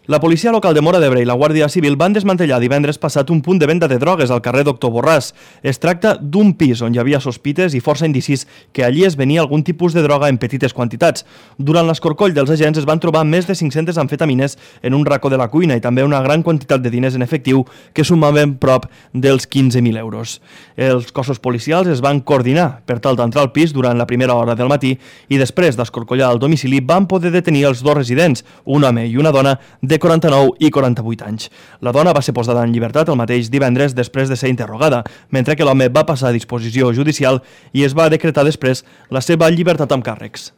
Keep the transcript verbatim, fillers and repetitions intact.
La policia local de Móra d'Ebre i la Guàrdia Civil van desmantellar divendres passat un punt de venda de drogues al carrer Doctor Borràs. Es tracta d'un pis on hi havia sospites i força indicis que allí es venia algun tipus de droga en petites quantitats. Durant l'escorcoll dels agents es van trobar més de cinc-centes amfetamines en un racó de la cuina i també una gran quantitat de diners en efectiu que sumaven prop dels quinze mil euros. Els cossos policials es van coordinar per tal d'entrar al pis durant la primera hora del matí i després d'escorcollar el domicili van poder detenir els dos residents, un home i una dona de quaranta-nou i quaranta-vuit anys. La dona va ser posada en llibertat el mateix divendres després de ser interrogada, mentre que l'home va passar a disposició judicial i es va decretar després la seva llibertat amb càrrecs.